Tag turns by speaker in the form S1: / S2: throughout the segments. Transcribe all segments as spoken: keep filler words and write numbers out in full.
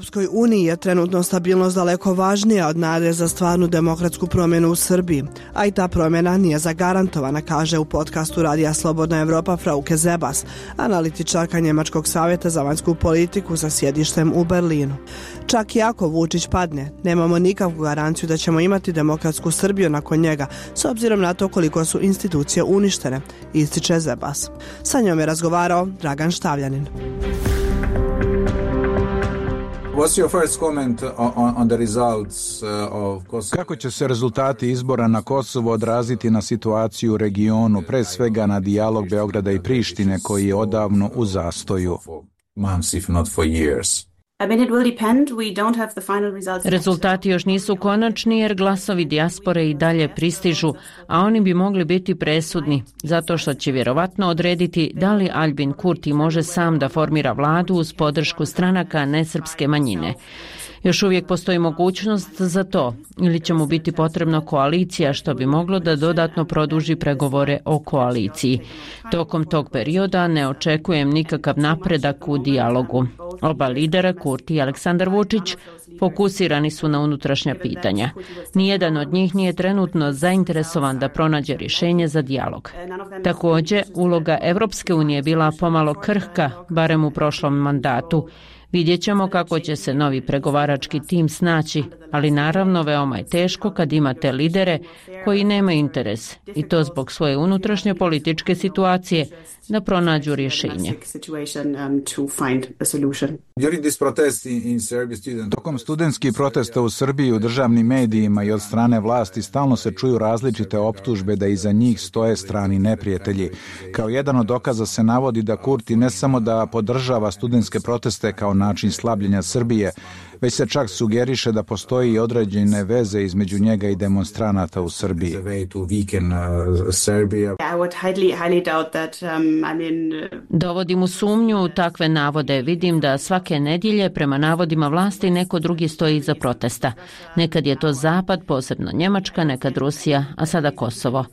S1: Europskoj uniji je trenutno stabilnost daleko važnija od nade za stvarnu demokratsku promjenu u Srbiji, a i ta promjena nije zagarantovana, kaže u podcastu Radija Slobodna Evropa Frauke Zebas, analitičarka Njemačkog savjeta za vanjsku politiku sa sjedištem u Berlinu. Čak i ako Vučić padne, nemamo nikakvu garanciju da ćemo imati demokratsku Srbiju nakon njega, s obzirom na to koliko su institucije uništene, ističe Zebas. Sa njom je razgovarao Dragan Štavljanin.
S2: Kako će se rezultati izbora na Kosovo odraziti na situaciju u regionu, pre svega na dijalog Beograda i Prištine koji je odavno u zastoju?
S3: Rezultati još nisu konačni jer glasovi dijaspore i dalje pristižu, a oni bi mogli biti presudni, zato što će vjerovatno odrediti da li Aljbin Kurti može sam da formira vladu uz podršku stranaka nesrpske manjine. Još uvijek postoji mogućnost za to, ili će mu biti potrebna koalicija, što bi moglo da dodatno produži pregovore o koaliciji. Tokom tog perioda ne očekujem nikakav napredak u dijalogu. Oba lidera, Kurti i Aleksandar Vučić, fokusirani su na unutrašnja pitanja. Nijedan od njih nije trenutno zainteresovan da pronađe rješenje za dijalog. Također, uloga Evropske unije bila pomalo krhka, barem u prošlom mandatu. Vidjet ćemo kako će se novi pregovarački tim snaći, ali naravno veoma je teško kad imate lidere koji nemaju interes, i to zbog svoje unutrašnje političke situacije, da pronađu rješenje.
S2: Tokom studentskih protesta u Srbiji u državnim medijima i od strane vlasti stalno se čuju različite optužbe da iza njih stoje strani neprijatelji. Kao jedan od dokaza se navodi da Kurti ne samo da podržava studentske proteste kao način slabljenja Srbije, već se čak sugeriše da postoji i određene veze između njega i demonstranata u Srbiji.
S3: Dovodim u sumnju takve navode. Vidim da svake nedjelje prema navodima vlasti neko drugi stoji iza protesta. Nekad je to Zapad, posebno Njemačka, nekad Rusija, a sada Kosovo.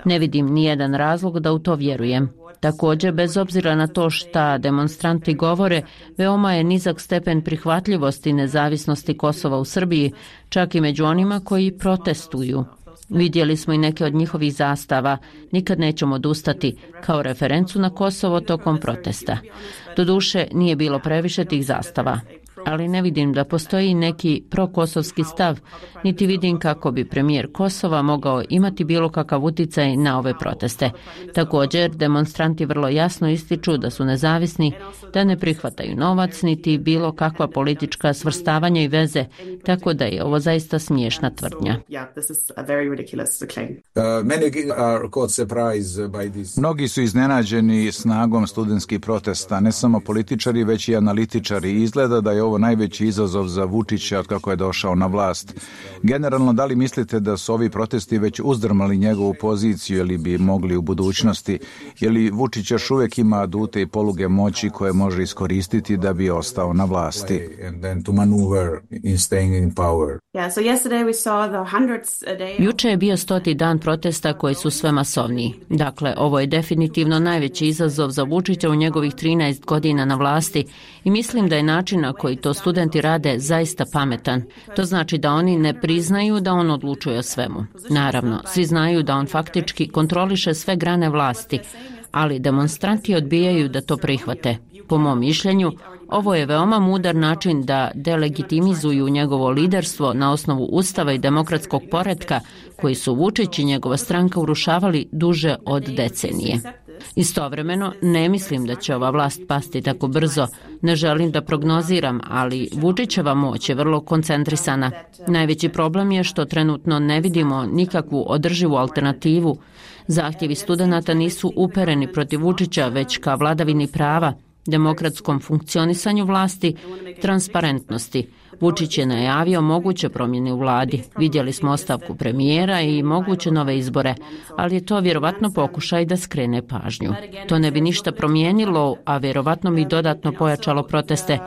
S3: Ne vidim nijedan razlog da u to vjerujem. Također, bez obzira na to šta demonstranti govore, veoma je nizak stepen prihvatljivosti nezavisnosti Kosova u Srbiji, čak i među onima koji protestuju. Vidjeli smo i neke od njihovih zastava, nikad nećemo odustati, kao referencu na Kosovo tokom protesta. Doduše, nije bilo previše tih zastava, ali ne vidim da postoji neki prokosovski stav, niti vidim kako bi premijer Kosova mogao imati bilo kakav utjecaj na ove proteste. Također, demonstranti vrlo jasno ističu da su nezavisni, da ne prihvataju novac, niti bilo kakva politička svrstavanja i veze, tako da je ovo zaista smiješna tvrdnja.
S2: Mnogi su iznenađeni snagom studentskih protesta, ne samo političari, već i analitičari. Izgleda da je ovo najveći izazov za Vučića od kako je došao na vlast. Generalno, da li mislite da su ovi protesti već uzdrmali njegovu poziciju ili bi mogli u budućnosti? Je li Vučić još uvijek ima adute i poluge moći koje može iskoristiti da bi ostao na vlasti?
S3: Juče je bio stoti dan protesta koji su sve masovniji. Dakle, ovo je definitivno najveći izazov za Vučića u njegovih trinaest godina na vlasti i mislim da je način na koji to studenti rade zaista pametan. To znači da oni ne priznaju da on odlučuje o svemu. Naravno, svi znaju da on faktički kontroliše sve grane vlasti, ali demonstranti odbijaju da to prihvate. Po mom mišljenju, ovo je veoma mudar način da delegitimizuju njegovo liderstvo na osnovu ustava i demokratskog poretka koji su Vučić i njegova stranka urušavali duže od decenije. Istovremeno, ne mislim da će ova vlast pasti tako brzo. Ne želim da prognoziram, ali Vučićeva moć je vrlo koncentrisana. Najveći problem je što trenutno ne vidimo nikakvu održivu alternativu. Zahtjevi studenata nisu upereni protiv Vučića, već ka vladavini prava, demokratskom funkcionisanju vlasti, transparentnosti. Vučić je najavio moguće promjene u vladi. Vidjeli smo ostavku premijera i moguće nove izbore, ali je to vjerovatno pokušaj da skrene pažnju. To ne bi ništa promijenilo, a vjerovatno bi dodatno pojačalo proteste.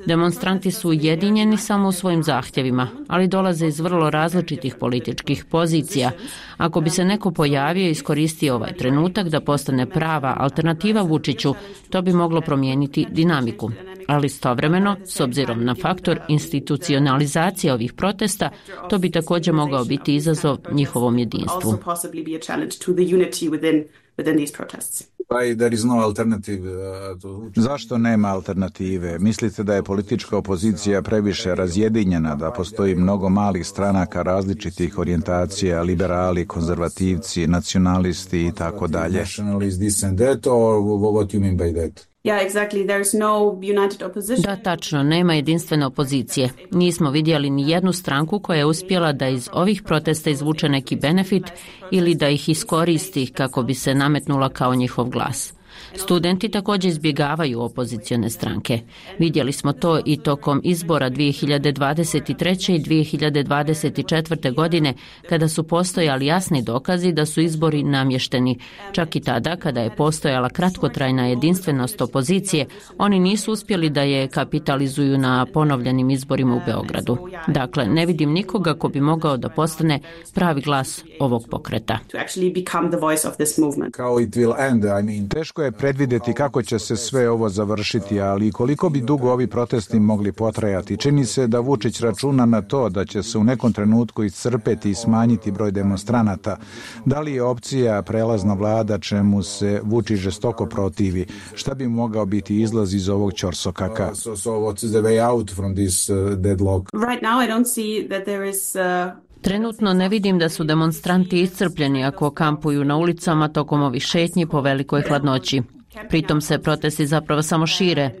S3: Demonstranti su ujedinjeni samo u svojim zahtjevima, ali dolaze iz vrlo različitih političkih pozicija. Ako bi se neko pojavio i iskoristio ovaj trenutak da postane prava alternativa Vučiću, to bi moglo promijeniti dinamiku. ali istovremeno, s obzirom na faktor institucionalizacije ovih protesta, to bi također mogao biti izazov njihovom jedinstvu.
S2: Zašto nema alternative? Mislite da je politička opozicija previše razjedinjena, da postoji mnogo malih stranaka različitih orijentacija, liberali, konzervativci, nacionalisti i tako dalje?
S3: Da, tačno, nema jedinstvene opozicije. Nismo vidjeli ni jednu stranku koja je uspjela da iz ovih protesta izvuče neki benefit ili da ih iskoristi kako bi se nametnula kao njihov glas. Studenti također izbjegavaju opozicione stranke. Vidjeli smo to i tokom izbora dvije hiljade dvadeset treće i dvije hiljade dvadeset četvrte. godine, kada su postojali jasni dokazi da su izbori namješteni. Čak i tada, kada je postojala kratkotrajna jedinstvenost opozicije, oni nisu uspjeli da je kapitalizuju na ponovljenim izborima u Beogradu. Dakle, ne vidim nikoga ko bi mogao da postane pravi glas ovog pokreta.
S2: Teško je predvidjeti kako će se sve ovo završiti, ali koliko bi dugo ovi protesti mogli potrajati. Čini se da Vučić računa na to da će se u nekom trenutku iscrpeti i smanjiti broj demonstranata. Da li je opcija prelazna vlada čemu se Vučić žestoko protivi? Šta bi mogao biti izlaz iz ovog ćorsokaka?
S3: Trenutno ne vidim da su demonstranti iscrpljeni ako kampuju na ulicama tokom ovih šetnji po velikoj hladnoći. Pritom se protesti zapravo samo šire.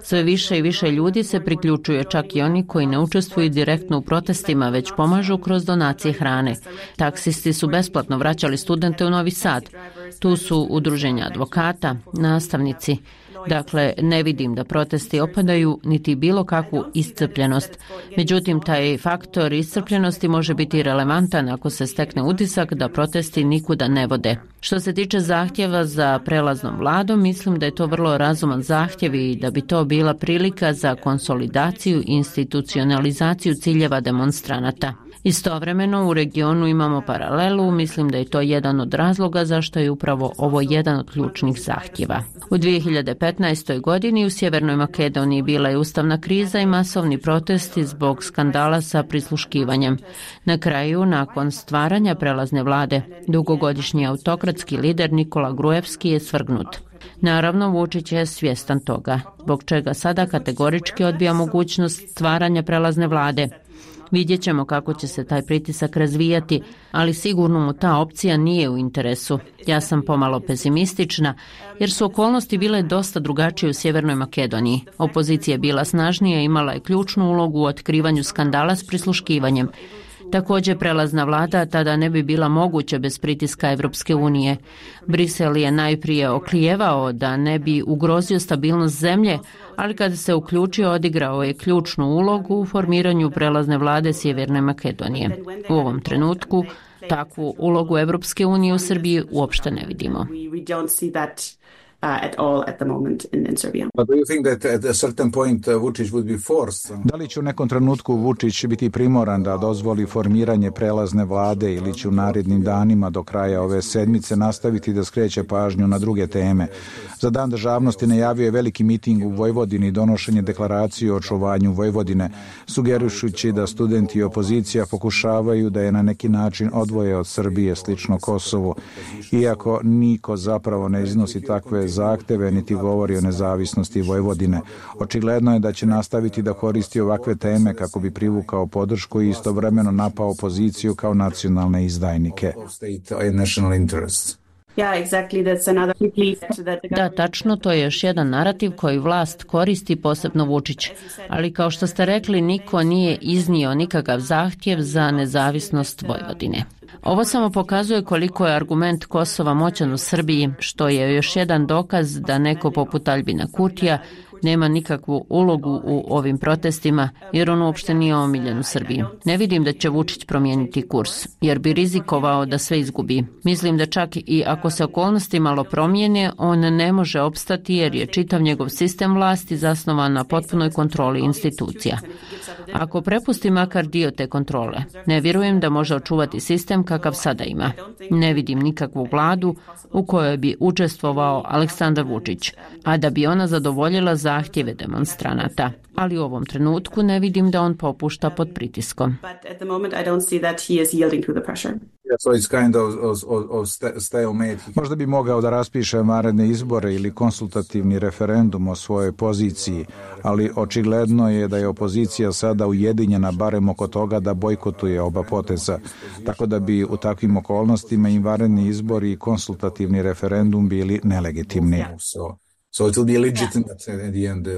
S3: Sve više i više ljudi se priključuje, čak i oni koji ne učestvuju direktno u protestima, već pomažu kroz donacije hrane. Taksisti su besplatno vraćali studente u Novi Sad. Tu su udruženja advokata, nastavnici. Dakle, ne vidim da protesti opadaju niti bilo kakvu iscrpljenost. Međutim, taj faktor iscrpljenosti može biti relevantan ako se stekne utisak da protesti nikuda ne vode. Što se tiče zahtjeva za prelaznom vladom, mislim da je to vrlo razuman zahtjev i da bi to bila prilika za konsolidaciju i institucionalizaciju ciljeva demonstranata. Istovremeno u regionu imamo paralelu, mislim da je to jedan od razloga zašto je upravo ovo jedan od ključnih zahtjeva. U dvije hiljade petnaestoj. godini u Sjevernoj Makedoniji bila je ustavna kriza i masovni protesti zbog skandala sa prisluškivanjem. Na kraju, nakon stvaranja prelazne vlade, dugogodišnji autokratski lider Nikola Gruevski je svrgnut. Naravno, Vučić je svjestan toga, zbog čega sada kategorički odbija mogućnost stvaranja prelazne vlade. Vidjet ćemo kako će se taj pritisak razvijati, ali sigurno mu ta opcija nije u interesu. Ja sam pomalo pesimistična, jer su okolnosti bile dosta drugačije u Sjevernoj Makedoniji. Opozicija je bila snažnija i imala je ključnu ulogu u otkrivanju skandala s prisluškivanjem. Također prelazna vlada tada ne bi bila moguća bez pritiska Evropske unije. Brisel je najprije oklijevao da ne bi ugrozio stabilnost zemlje, ali kada se uključio odigrao je ključnu ulogu u formiranju prelazne vlade Sjeverne Makedonije. U ovom trenutku takvu ulogu Evropske unije u Srbiji uopšte ne vidimo.
S4: Uh, at all at the moment in, in Serbia.
S2: But do you think that at a certain point uh, Vučić would be forced? Da li će u nekom trenutku Vučić biti primoran da dozvoli formiranje prelazne vlade ili će u narednim danima do kraja ove sedmice nastaviti da skreće pažnju na druge teme? Za Dan državnosti najavio je veliki miting u Vojvodini i donošenje deklaracije o očuvanju Vojvodine, sugerišući da studenti i opozicija pokušavaju da je na neki način odvoje od Srbije, slično Kosovu, iako niko zapravo ne iznosi takve zahteve niti govori o nezavisnosti Vojvodine. Očigledno je da će nastaviti da koristi ovakve teme kako bi privukao podršku i istovremeno napao opoziciju kao nacionalne izdajnike.
S3: Da, tačno, to je još jedan narativ koji vlast koristi, posebno Vučić. Ali kao što ste rekli, niko nije iznio nikakav zahtjev za nezavisnost Vojvodine. Ovo samo pokazuje koliko je argument Kosova moćan u Srbiji, što je još jedan dokaz da neko poput Aljbina Kurtija nema nikakvu ulogu u ovim protestima, jer on uopšte nije omiljen u Srbiji. Ne vidim da će Vučić promijeniti kurs, jer bi rizikovao da sve izgubi. Mislim da čak i ako se okolnosti malo promijene, on ne može opstati jer je čitav njegov sistem vlasti zasnovan na potpunoj kontroli institucija. Ako prepusti makar dio te kontrole, ne vjerujem da može očuvati sistem kakav sada ima. Ne vidim nikakvu vladu u kojoj bi učestvovao Aleksandar Vučić, a da bi ona zadovoljila zahtjeve demonstranata, ali u ovom trenutku ne vidim da on popušta pod pritiskom.
S2: Možda bi mogao da raspiše vanredne izbore ili konsultativni referendum o svojoj poziciji, ali očigledno je da je opozicija sada ujedinjena barem oko toga da bojkotuje oba poteza, tako da bi u takvim okolnostima i vanredni izbori i konsultativni referendum bili nelegitimni.
S5: So it will be legitimate at the end. Uh,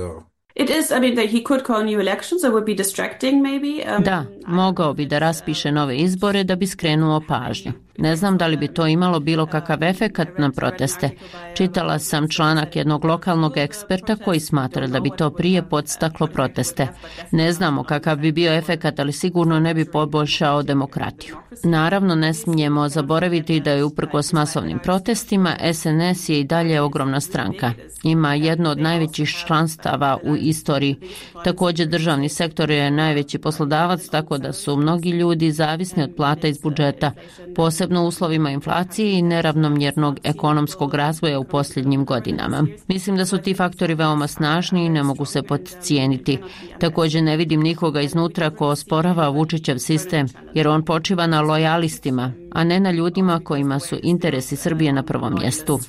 S4: It is, I mean, that he could call new elections. It would be distracting, maybe. Um,
S3: Da, mogao bi da raspiše nove izbore da bi skrenuo pažnju. Ne znam da li bi to imalo bilo kakav efekat na proteste. Čitala sam članak jednog lokalnog eksperta koji smatra da bi to prije podstaklo proteste. Ne znamo kakav bi bio efekat, ali sigurno ne bi poboljšao demokratiju. Naravno, ne smijemo zaboraviti da je uprkos masovnim protestima S N S je i dalje ogromna stranka. Ima jedno od najvećih članstava u istoriji. Također državni sektor je najveći poslodavac, tako da su mnogi ljudi zavisni od plata iz budžeta, posebno u uslovima inflacije i neravnomjernog ekonomskog razvoja u posljednjim godinama. Mislim da su ti faktori veoma snažni i ne mogu se podcijeniti. Također ne vidim nikoga iznutra ko osporava Vučićev sistem, jer on počiva na lojalistima, a ne na ljudima kojima su interesi Srbije na prvom mjestu.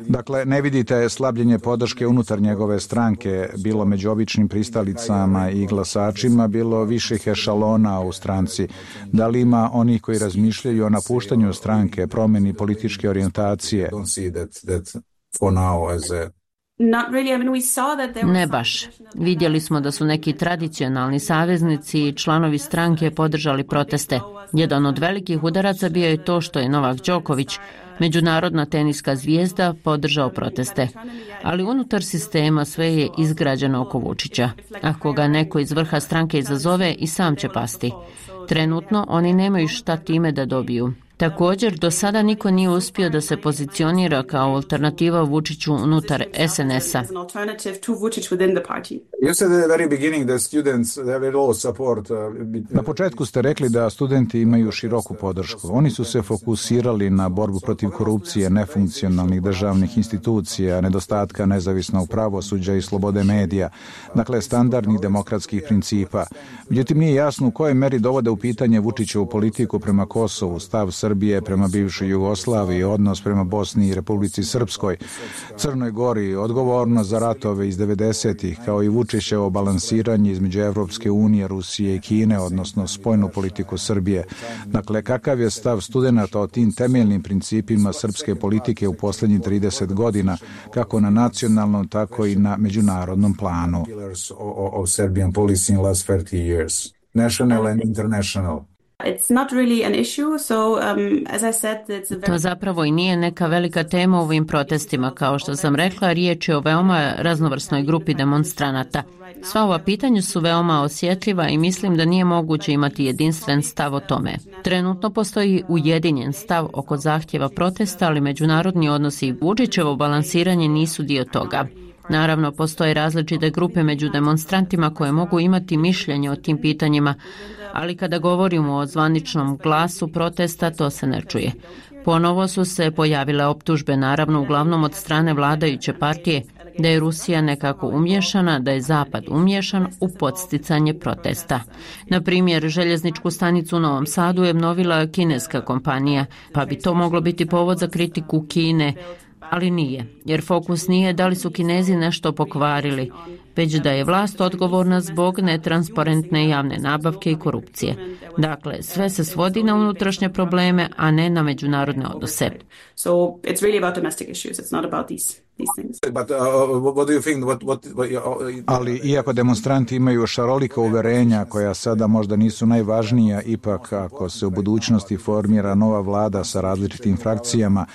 S2: Dakle, ne vidite slabljenje podrške unutar njegove stranke, bilo među običnim pristalicama i glasačima, bilo viših ešalona u stranci. Da li ima onih koji razmišljaju o napuštanju stranke, promjeni političke orijentacije?
S3: Ne baš. Vidjeli smo da su neki tradicionalni saveznici i članovi stranke podržali proteste. Jedan od velikih udaraca bio je to što je Novak Đoković, međunarodna teniska zvijezda, podržao proteste. Ali unutar sistema sve je izgrađeno oko Vučića. Ako ga neko iz vrha stranke izazove, i sam će pasti. Trenutno oni nemaju šta time da dobiju. Također, do sada niko nije uspio da se pozicionira kao alternativa Vučiću unutar S N S-a.
S2: Na početku ste rekli da studenti imaju široku podršku. Oni su se fokusirali na borbu protiv korupcije, nefunkcionalnih državnih institucija, nedostatka nezavisnog pravosuđa i slobode medija, dakle standardnih demokratskih principa. Međutim, nije jasno u kojoj meri dovode u pitanje Vučićevu politiku prema Kosovu, stav Srbije prema bivšoj Jugoslaviji, odnos prema Bosni i Republici Srpskoj, Crnoj Gori, odgovornost za ratove iz devedesetih, kao i Vučićevo balansiranje između Evropske unije, Rusije i Kine, odnosno spoljnu politiku Srbije. Dakle, kakav je stav studenata o tim temeljnim principima srpske politike u posljednjih trideset godina, kako na nacionalnom, tako i na međunarodnom planu?
S5: National and international.
S4: It's not really an issue, so um, as I said, it's a very...
S3: To zapravo i nije neka velika tema u ovim protestima. Kao što sam rekla, riječ je o veoma raznovrsnoj grupi demonstranata. Sva ova pitanja su veoma osjetljiva i mislim da nije moguće imati jedinstven stav o tome. Trenutno postoji ujedinjen stav oko zahtjeva protesta, ali međunarodni odnosi i Vučićevo balansiranje nisu dio toga. Naravno, postoje različite grupe među demonstrantima koje mogu imati mišljenje o tim pitanjima, ali kada govorimo o zvaničnom glasu protesta, to se ne čuje. Ponovo su se pojavile optužbe, naravno uglavnom od strane vladajuće partije, da je Rusija nekako umješana, da je Zapad umješan u podsticanje protesta. Na primjer, željezničku stanicu u Novom Sadu je obnovila kineska kompanija, pa bi to moglo biti povod za kritiku Kine, ali nije, jer fokus nije da li su Kinezi nešto pokvarili, već da je vlast odgovorna zbog netransparentne javne nabavke i korupcije. Dakle, sve se svodi na unutrašnje probleme, a ne na međunarodne odnose.
S4: So it's really about domestic issues. It's not about these these things.
S5: But uh, what do you think? What what? what
S2: Ali iako demonstranti imaju šarolika uverenja koja sada možda nisu najvažnija, ipak ako se u budućnosti formira nova vlada sa različitim frakcijama,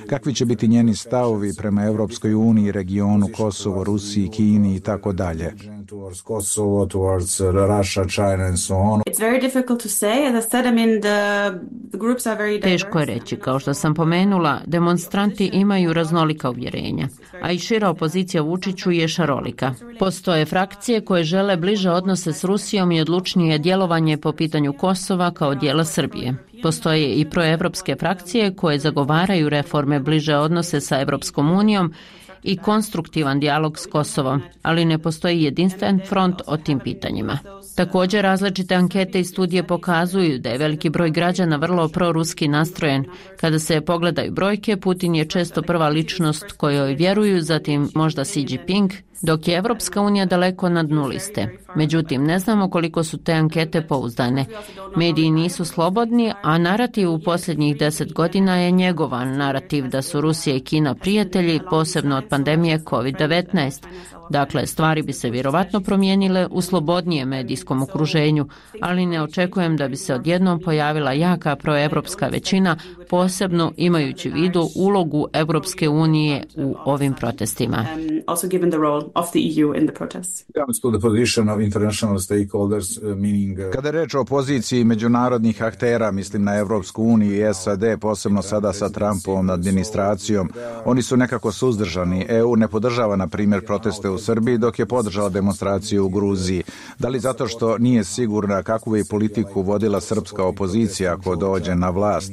S2: kakvi će biti njeni stavovi prema Evropskoj uniji, regionu, Kosovo, Rusiji, Kini i tako dalje?
S5: towards Kosovo, towards Russia, China and so on.
S4: It's very difficult to say. As I said, I mean, the, the groups are very diverse.
S3: Teško je reći, kao što sam pomenula, demonstranti imaju raznolika uvjerenja, a i šira opozicija Vučiću je šarolika. Postoje frakcije koje žele bliže odnose s Rusijom i odlučnije djelovanje po pitanju Kosova kao dijela Srbije. Postoje i proevropske frakcije koje zagovaraju reforme, bliže odnose sa Evropskom unijom i konstruktivan dijalog s Kosovom, ali ne postoji jedinstven front o tim pitanjima. Također, različite ankete i studije pokazuju da je veliki broj građana vrlo proruski nastrojen. Kada se pogledaju brojke, Putin je često prva ličnost kojoj vjeruju, zatim možda Xi Jinping, dok je Evropska unija daleko na dnu liste. Međutim, ne znamo koliko su te ankete pouzdane. Mediji nisu slobodni, a narativ u posljednjih deset godina je njegovan narativ da su Rusija i Kina prijatelji, posebno od pandemije kovid devetnaest. Dakle, stvari bi se vjerovatno promijenile u slobodnijem medijskom okruženju, ali ne očekujem da bi se odjednom pojavila jaka proevropska većina, posebno imajući u vidu ulogu Evropske unije u ovim protestima.
S2: Kada je reč o poziciji međunarodnih aktera, mislim na Evropsku uniju i S A D, posebno sada sa Trumpovom administracijom, oni su nekako suzdržani. E U ne podržava, na primjer, proteste u Srbiji, dok je podržala demonstraciju u Gruziji. Da li zato što nije sigurna kakvu bi politiku vodila srpska opozicija ako dođe na vlast?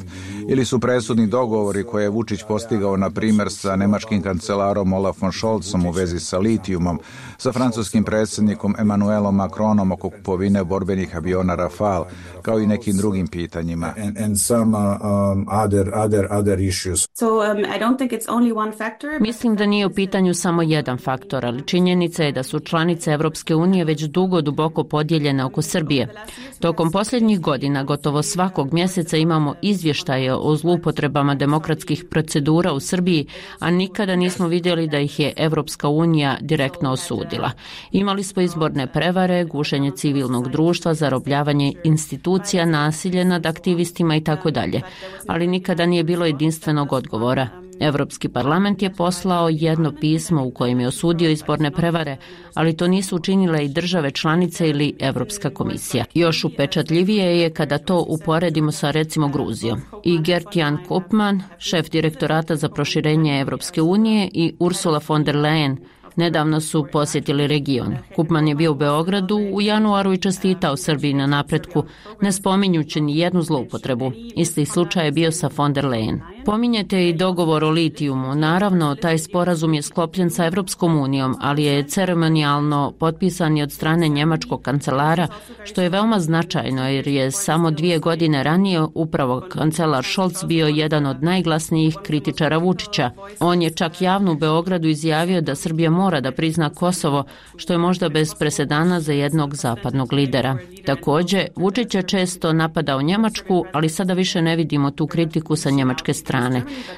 S2: Ili su presudni dogovori koje je Vučić postigao, na primjer, sa nemačkim kancelarom Olafom Scholzom u vezi sa litijumom, sa francuskim predsjednikom Emmanuelom Macronom oko kupovine borbenih aviona Rafale, kao i nekim drugim pitanjima.
S5: And, and some, um, other, other, other issues.
S4: So um, I don't think it's only one factor.
S3: Mislim da nije u pitanju samo jedan faktor, ali činjenica je da su članice Evropske unije već dugo duboko podijeljene oko Srbije. Tokom posljednjih godina gotovo svakog mjeseca imamo izvještaje o zloupotrebama demokratskih procedura u Srbiji, a nikada nismo vidjeli da ih je Evropska unija direktno osudila. Imali smo izborne prevare, gušenje civilnog društva, zarobljavanje institucija, nasilje nad aktivistima i tako dalje, ali nikada nije bilo jedinstvenog odgovora. Evropski parlament je poslao jedno pismo u kojem je osudio izborne prevare, ali to nisu učinile i države članice ili Evropska komisija. Još upečatljivije je kada to uporedimo sa, recimo, Gruzijom. I Gert-Jan Koopman, šef direktorata za proširenje Evropske unije, i Ursula von der Leyen nedavno su posjetili region. Koopman je bio u Beogradu u januaru i čestitao Srbiji na napretku, ne spominjući ni jednu zloupotrebu. Isti slučaj je bio sa von der Leyen. Pominjete i dogovor o litijumu. Naravno, taj sporazum je sklopljen sa Evropskom unijom, ali je ceremonijalno potpisan i od strane njemačkog kancelara, što je veoma značajno jer je samo dvije godine ranije upravo kancelar Scholz bio jedan od najglasnijih kritičara Vučića. On je čak javno u Beogradu izjavio da Srbija mora da prizna Kosovo, što je možda bez presedana za jednog zapadnog lidera. Također, Vučić je često napadao Njemačku, ali sada više ne vidimo tu kritiku sa njemačke strane.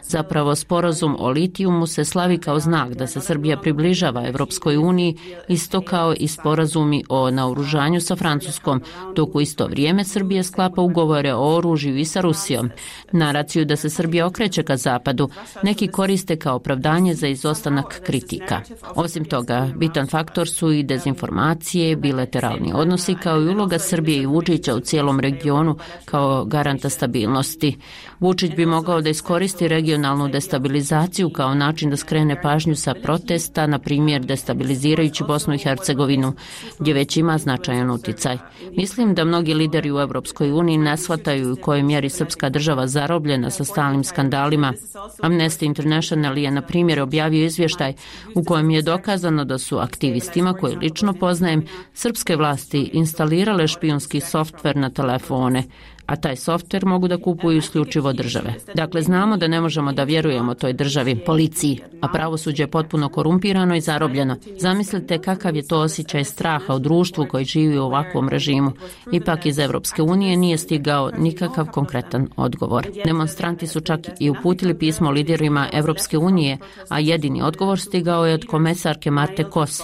S3: Zapravo, sporazum o litijumu se slavi kao znak da se Srbija približava Evropskoj uniji, isto kao i sporazumi o naoružanju sa Francuskom, dok u isto vrijeme Srbija sklapa ugovore o oružju i sa Rusijom. Naraciju da se Srbija okreće ka zapadu neki koriste kao opravdanje za izostanak kritika. Osim toga, bitan faktor su i dezinformacije, bilateralni odnosi kao i uloga Srbije i Vučića u cijelom regionu kao garanta stabilnosti. Vučić bi mogao da iskoristi regionalnu destabilizaciju kao način da skrene pažnju sa protesta, na primjer destabilizirajući Bosnu i Hercegovinu, gdje već ima značajan uticaj. Mislim da mnogi lideri u Evropskoj uniji ne shvataju u kojoj mjeri srpska država zarobljena sa stalnim skandalima. Amnesty International je, na primjer, objavio izvještaj u kojem je dokazano da su aktivistima, koje lično poznajem, srpske vlasti instalirale špijunski softver na telefone, a taj softver mogu da kupuju isključivo države. Dakle, znamo da ne možemo da vjerujemo toj državi, policiji, a pravosuđe je potpuno korumpirano i zarobljeno. Zamislite kakav je to osjećaj straha u društvu koji živi u ovakvom režimu. Ipak iz Evropske unije nije stigao nikakav konkretan odgovor. Demonstranti su čak i uputili pismo liderima Evropske unije, a jedini odgovor stigao je od komesarke Marte Kos,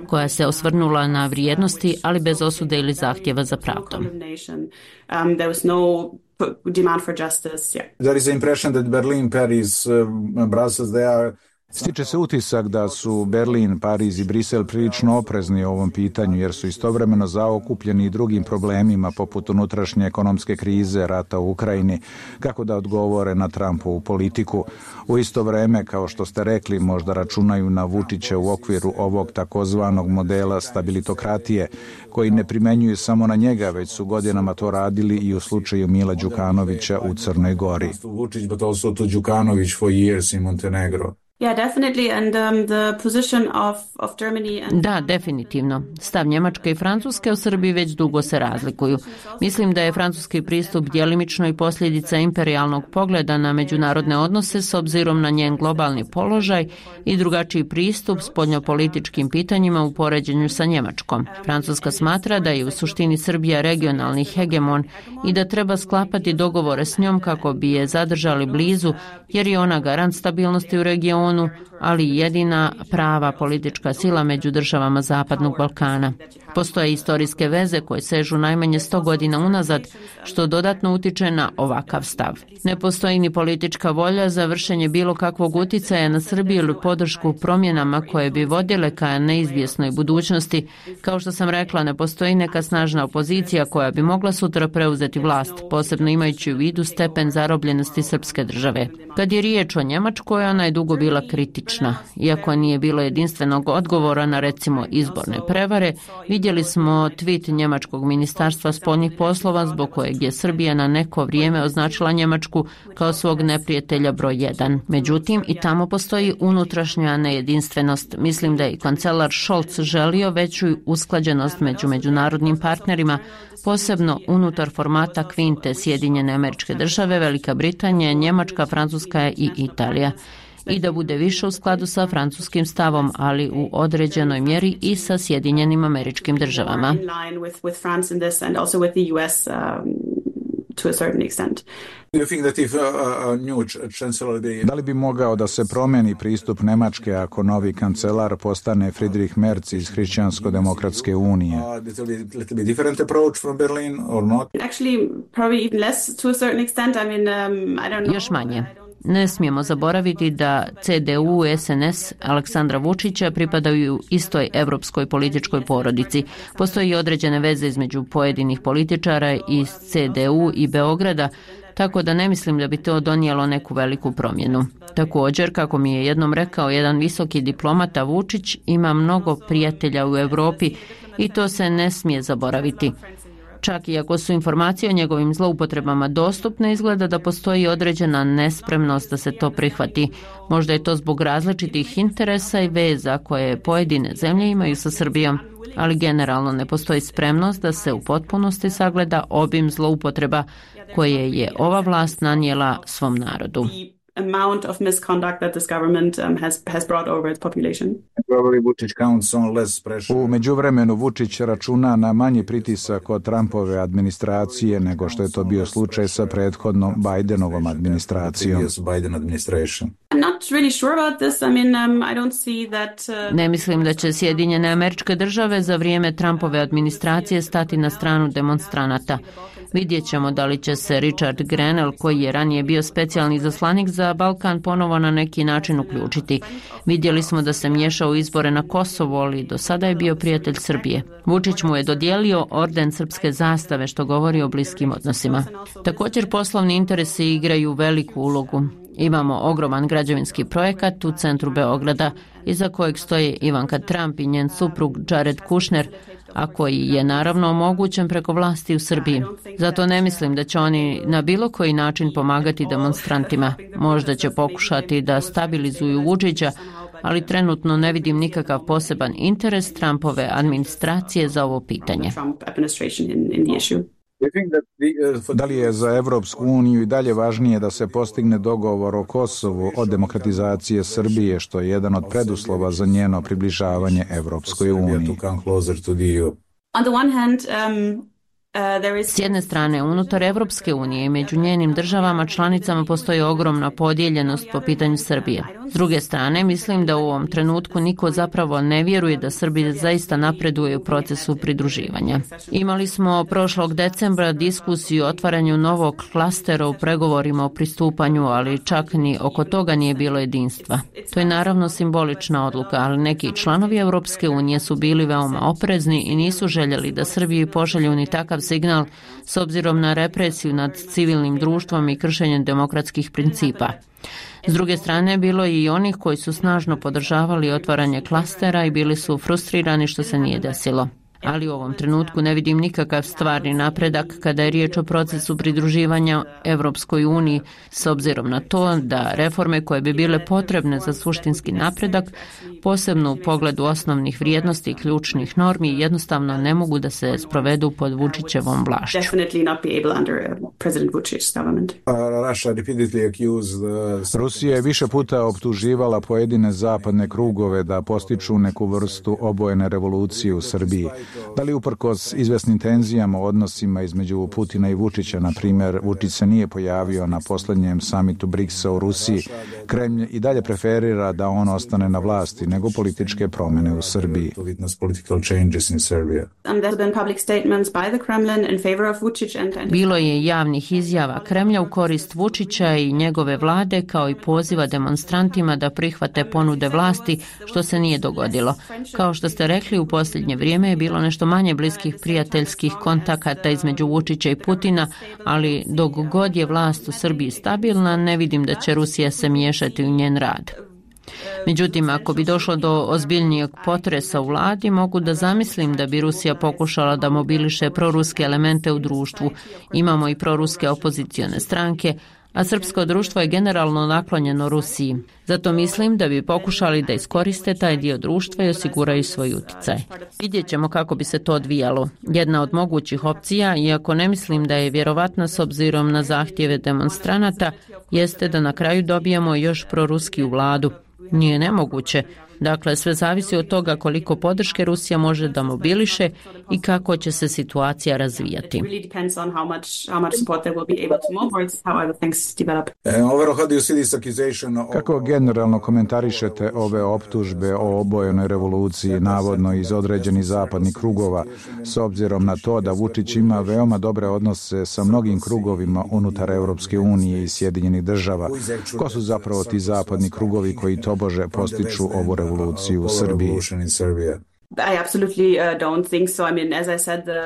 S3: koja se osvrnula na vrijednosti, ali bez osude ili zahtjeva za pravdom.
S4: Um, there was no demand for justice. Yeah.
S5: There is the impression that Berlin, Paris, uh, Brussels, they are
S2: Stiče se utisak da su Berlin, Pariz i Brisel prilično oprezni o ovom pitanju jer su istovremeno zaokupljeni i drugim problemima poput unutrašnje ekonomske krize, rata u Ukrajini, kako da odgovore na Trumpovu politiku. U isto vreme, kao što ste rekli, možda računaju na Vučića u okviru ovog takozvanog modela stabilitokratije, koji ne primenjuju samo na njega, već su godinama to radili i u slučaju Mila Đukanovića u Crnoj Gori.
S5: Vučić, but also to Đukanović for years in Montenegro.
S4: Yeah, definitely. And um, the position of, of Germany and...
S3: Da, definitivno. Stav Njemačke i Francuske u Srbiji već dugo se razlikuju. Mislim da je francuski pristup djelimično i posljedica imperijalnog pogleda na međunarodne odnose s obzirom na njen globalni položaj i drugačiji pristup spoljnopolitičkim pitanjima u poređenju sa Njemačkom. Francuska smatra da je u suštini Srbija regionalni hegemon i da treba sklapati dogovore s njom kako bi je zadržali blizu, jer je ona garant stabilnosti u regionu, ali jedina prava politička sila među državama Zapadnog Balkana. Postoje istorijske veze koje sežu najmanje sto godina unazad, što dodatno utiče na ovakav stav. Ne postoji ni politička volja za vršenje bilo kakvog uticaja na Srbiju ili podršku promjenama koje bi vodile ka neizvjesnoj budućnosti. Kao što sam rekla, ne postoji neka snažna opozicija koja bi mogla sutra preuzeti vlast, posebno imajući u vidu stepen zarobljenosti srpske države. Kad je riječ o Njemačkoj, ona je dugo bila kritična. Iako nije bilo jedinstvenog odgovora na recimo izborne prevare, vidjeli smo tweet njemačkog ministarstva spoljnih poslova zbog kojeg je Srbija na neko vrijeme označila Njemačku kao svog neprijatelja broj jedan. Međutim, i tamo postoji unutrašnja nejedinstvenost. Mislim da je i kancelar Scholz želio veću usklađenost među međunarodnim partnerima, posebno unutar formata kvinte Sjedinjene Američke Države, Velika Britanija, Njemačka, Francuska i Italija. I da bude više u skladu sa francuskim stavom, ali u određenoj mjeri i sa Sjedinjenim Američkim Državama.
S2: Da li bi mogao da se promeni pristup Nemačke ako novi kancelar postane Friedrich Merz iz Hrišćansko-demokratske unije?
S3: Još manje. Ne smijemo zaboraviti da C D U i S N S Aleksandra Vučića pripadaju istoj evropskoj političkoj porodici. Postoji određene veze između pojedinih političara iz C D U i Beograda, tako da ne mislim da bi to donijelo neku veliku promjenu. Također, kako mi je jednom rekao jedan visoki diplomata, Vučić ima mnogo prijatelja u Europi i to se ne smije zaboraviti. Čak i ako su informacije o njegovim zloupotrebama dostupne, izgleda da postoji određena nespremnost da se to prihvati. Možda je to zbog različitih interesa i veza koje pojedine zemlje imaju sa Srbijom, ali generalno ne postoji spremnost da se u potpunosti sagleda obim zloupotreba koje je ova vlast nanijela svom narodu.
S4: Amount of misconduct that this government um, has has brought over its population.
S2: U međuvremenu Vučić računa na manji pritisak od Trumpove administracije nego što je to bio slučaj sa prethodnom Bidenovom administracijom.
S3: Ne mislim da će Sjedinjene Američke Države za vrijeme Trumpove administracije stati na stranu demonstranata. Vidjet ćemo da li će se Richard Grenell, koji je ranije bio specijalni izaslanik za Balkan, ponovo na neki način uključiti. Vidjeli smo da se miješao u izbore na Kosovu, ali do sada je bio prijatelj Srbije. Vučić mu je dodijelio orden srpske zastave, što govori o bliskim odnosima. Također poslovni interesi igraju veliku ulogu. Imamo ogroman građevinski projekat u centru Beograda, iza kojeg stoje Ivanka Trump i njen suprug Jared Kushner, a koji je naravno omogućen preko vlasti u Srbiji. Zato ne mislim da će oni na bilo koji način pomagati demonstrantima. Možda će pokušati da stabilizuju Vučića, ali trenutno ne vidim nikakav poseban interes Trumpove administracije za ovo pitanje.
S2: Da li je za Evropsku uniju i dalje važnije da se postigne dogovor o Kosovu od demokratizacije Srbije, što je jedan od preduslova za njeno približavanje Evropskoj uniji?
S4: On the one hand, um,
S3: S jedne strane, unutar Evropske unije i među njenim državama članicama postoji ogromna podijeljenost po pitanju Srbije. S druge strane, mislim da u ovom trenutku niko zapravo ne vjeruje da Srbija zaista napreduje u procesu pridruživanja. Imali smo prošlog decembra diskusiju o otvaranju novog klastera u pregovorima o pristupanju, ali čak ni oko toga nije bilo jedinstva. To je naravno simbolična odluka, ali neki članovi Evropske unije su bili veoma oprezni i nisu željeli da Srbiji pošalju ni takav signal s obzirom na represiju nad civilnim društvom i kršenjem demokratskih principa. S druge strane, bilo je i onih koji su snažno podržavali otvaranje klastera i bili su frustrirani što se nije desilo. Ali u ovom trenutku ne vidim nikakav stvarni napredak kada je riječ o procesu pridruživanja Evropskoj uniji, s obzirom na to da reforme koje bi bile potrebne za suštinski napredak, posebno u pogledu osnovnih vrijednosti i ključnih normi, jednostavno ne mogu da se sprovedu pod Vučićevom vlašću.
S2: Rusija je više puta optuživala pojedine zapadne krugove da postiču neku vrstu obojene revolucije u Srbiji. Da li uprkos izvesnim tenzijama u odnosima između Putina i Vučića, na primjer, Vučić se nije pojavio na posljednjem samitu briksa u Rusiji, Kremlj i dalje preferira da on ostane na vlasti nego političke promjene u Srbiji.
S3: Bilo je javnih izjava Kremlja u korist Vučića i njegove vlade, kao i poziva demonstrantima da prihvate ponude vlasti, što se nije dogodilo. Kao što ste rekli, u posljednje vrijeme je bilo nešto manje bliskih prijateljskih kontakata između Vučića i Putina, ali dok god je vlast u Srbiji stabilna, ne vidim da će Rusija se miješati u njen rad. Međutim, ako bi došlo do ozbiljnijeg potresa u vladi, mogu da zamislim da bi Rusija pokušala da mobiliše proruske elemente u društvu. Imamo i proruske opozicione stranke, a srpsko društvo je generalno naklonjeno Rusiji. Zato mislim da bi pokušali da iskoriste taj dio društva i osiguraju svoj utjecaj. Vidjet ćemo kako bi se to odvijalo. Jedna od mogućih opcija, iako ne mislim da je vjerovatna s obzirom na zahtjeve demonstranata, jeste da na kraju dobijemo još proruskiju vladu. Nije nemoguće. Dakle, sve zavisi od toga koliko podrške Rusija može da mobiliše i kako će se situacija razvijati.
S2: Kako generalno komentarišete ove optužbe o obojenoj revoluciji, navodno iz određenih zapadnih krugova, s obzirom na to da Vučić ima veoma dobre odnose sa mnogim krugovima unutar Evropske unije i Sjedinjenih država? Ko su zapravo ti zapadni krugovi koji tobože postiču ovu revoluciju u Srbiji?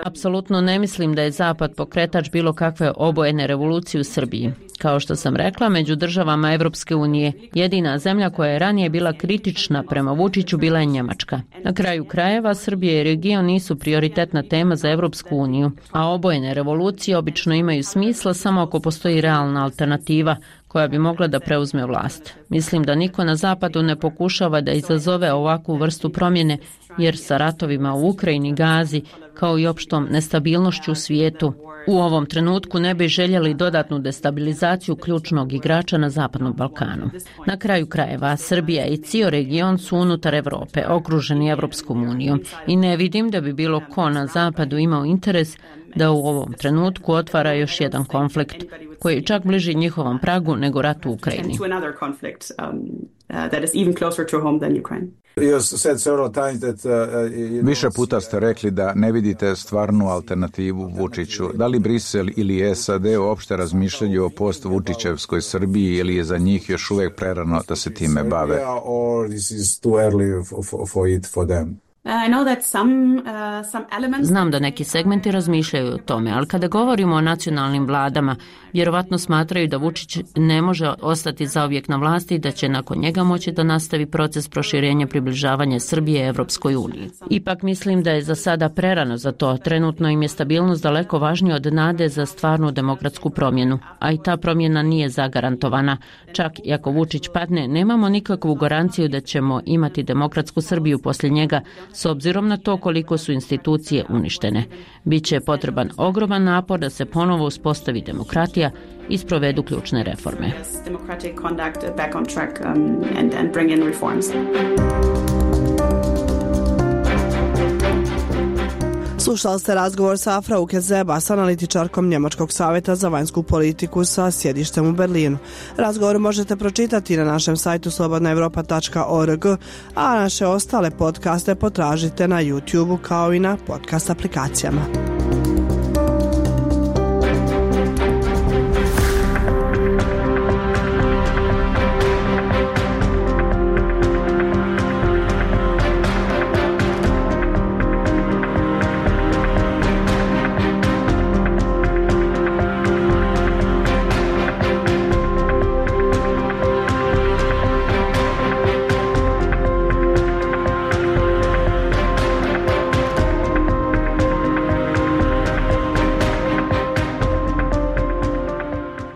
S3: Apsolutno ne mislim da je Zapad pokretač bilo kakve obojene revolucije u Srbiji. Kao što sam rekla, među državama Evropske unije jedina zemlja koja je ranije bila kritična prema Vučiću bila je Njemačka. Na kraju krajeva, Srbija i region nisu prioritetna tema za Evropsku uniju, a obojene revolucije obično imaju smisla samo ako postoji realna alternativa koja bi mogla da preuzme vlast. Mislim da niko na zapadu ne pokušava da izazove ovakvu vrstu promjene, jer sa ratovima u Ukrajini, Gazi, kao i opštom nestabilnošću u svijetu, u ovom trenutku ne bi željeli dodatnu destabilizaciju ključnog igrača na Zapadnom Balkanu. Na kraju krajeva, Srbija i cijel region su unutar Evrope, okruženi Evropskom unijom i ne vidim da bi bilo ko na Zapadu imao interes da u ovom trenutku otvara još jedan konflikt koji je čak bliži njihovom pragu nego rat u Ukrajini.
S2: Više puta ste rekli da ne vidite stvarnu alternativu Vučiću. Da li Brisel ili S A D uopšte razmišljaju o post-Vučićevskoj Srbiji ili je za njih još uvijek prerano da se time bave?
S3: Znam da neki segmenti razmišljaju o tome, ali kada govorimo o nacionalnim vladama, vjerovatno smatraju da Vučić ne može ostati zauvijek na vlasti i da će nakon njega moći da nastavi proces proširenja približavanja Srbije Evropskoj uniji. Ipak mislim da je za sada prerano za to. Trenutno im je stabilnost daleko važnija od nade za stvarnu demokratsku promjenu, a i ta promjena nije zagarantovana. Čak i ako Vučić padne, nemamo nikakvu garanciju da ćemo imati demokratsku Srbiju poslije njega, s obzirom na to koliko su institucije uništene. Biće potreban ogroman napor da se ponovo uspostavi demokratija i sprovedu ključne reforme.
S1: Slušali ste razgovor sa Frauke Zebas, analitičarkom Njemačkog savjeta za vanjsku politiku sa sjedištem u Berlinu. Razgovor možete pročitati na našem sajtu slobodna europa tačka org, a naše ostale podcaste potražite na YouTubeu kao i na podcast aplikacijama.